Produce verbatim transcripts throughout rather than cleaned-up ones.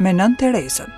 me Nënë Terezën.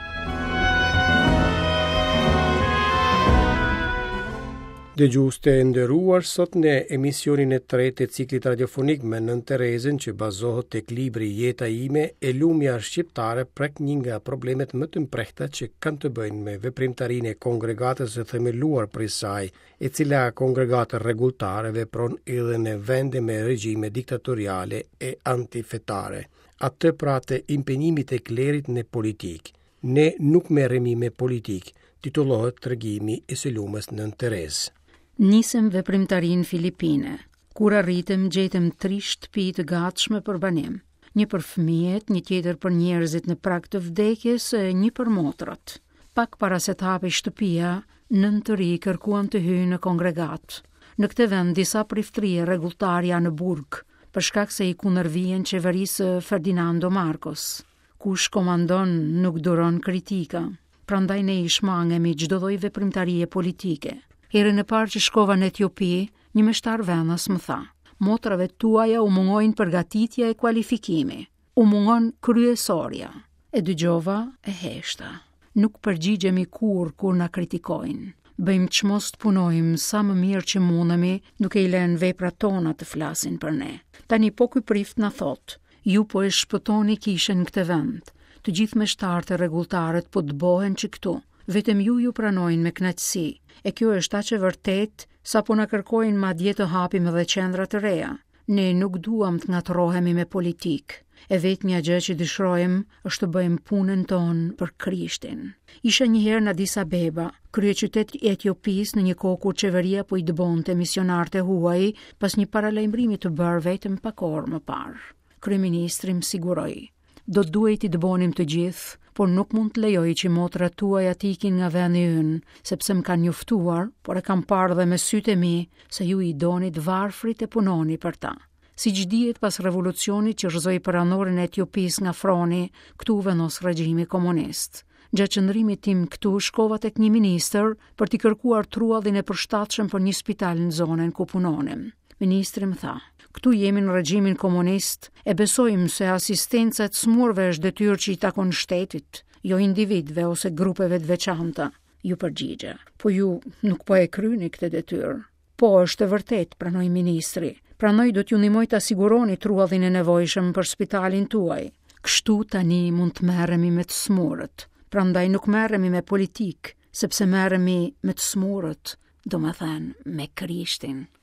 Dëgjues të nderuar, sot në emisionin e tretë të ciklit radiofonik me Nënë Terezën që bazohet tek libri Jeta ime, e lumja shqiptare prek një nga problemet më të mprehta që kanë të bëjnë me veprimtarinë e kongregatës së themeluar prej saj, e cila kongregatë rregulltare vepron edhe në vende me regjime diktatoriale e antifetare. Atë pra të impenjimit të klerit në politikë. Ne nuk merremi me politikë, titullohet tregimi i së lumës Nënë Terezë. Nisëm veprimtarinë Filipine. Kur arritëm, gjetëm tri shtëpi të gatshme për banim. Një për fëmijët, një tjetër për njerëzit në prag të vdekjes e një për motrat. Pak para se të hapej shtëpia, nëntë të ri kërkuan të hyjnë në kongregat. Në këtë vend disa priftëri e rregulltar janë në burg, për shkak se i kundërvihen qeverisë së Ferdinando Marcos. Kush komandon nuk duron kritika. Prandaj ne i shmangemi çdo lloj veprimtarie politike. Herën e parë që shkova në Etiopi, një meshtar vendas më tha: "Motrave tuaja u mungojnë përgatitja e kualifikimi, u mungon kryesorja." E dëgjova e heshta. Nuk përgjigjemi kurrë kur na kritikojnë. Bëjmë çmos të punojmë sa më mirë që mundemi, duke i lënë veprat tona të flasin për ne. Tani po ky prift na thotë: "Ju po e shpëtoni kishën në këtë vend. Të gjithë meshtarët e rregulltarët po dëbohen që këtu. Vetëm ju ju pranojnë me kënaqësi. E kjo është aq e vërtetë sa po na kërkojnë madje të hapim edhe qendra të reja. Ne nuk duam të ngatërrohemi me politikë. E vetmja gjë që dëshirojmë është të bëjmë punën tonë për Krishtin." Isha një herë në Addis Abeba, kryeqytet i Etiopisë, në një kohë kur qeveria po i dëbonte misionarët e huaj pas një paralajmërimi të bërë vetëm pak orë më parë. Kryeministri më siguroi: "Do duhej t'i dëbonim të gjithë, por nuk mund të lejoj që motrat tuaja të ikin nga vendi ynë, sepse më kanë njoftuar, por e kam parë dhe me sytë e mi, se ju i doni të varfrit e punoni për ta." Siç dihet, pas revolucionit që rrëzoi perandorin e Etiopisë nga froni, këtu u vendos regjimi komunist. Gjatë qëndrimit tim këtu shkova tek një ministër për t'i kërkuar truallin e përshtatshëm për një spital në zonën ku punonim. Ministri më tha: "Këtu jemi në regjimin komunist, e besojmë se asistenca e të smurve është detyrë që i takon shtetit, jo individëve ose grupeve të veçanta." Ju përgjigja: "Po ju nuk po e kryeni këtë detyrë." "Po, është e vërtetë," pranoi ministri. "Prandaj do t'ju ndihmoj ta siguroni truallin e nevojshëm për spitalin tuaj. Kështu tani mund të merremi me të smurët. Prandaj nuk merremi me politikë, sepse merremi me të smurët, do me thënë me Krishtin."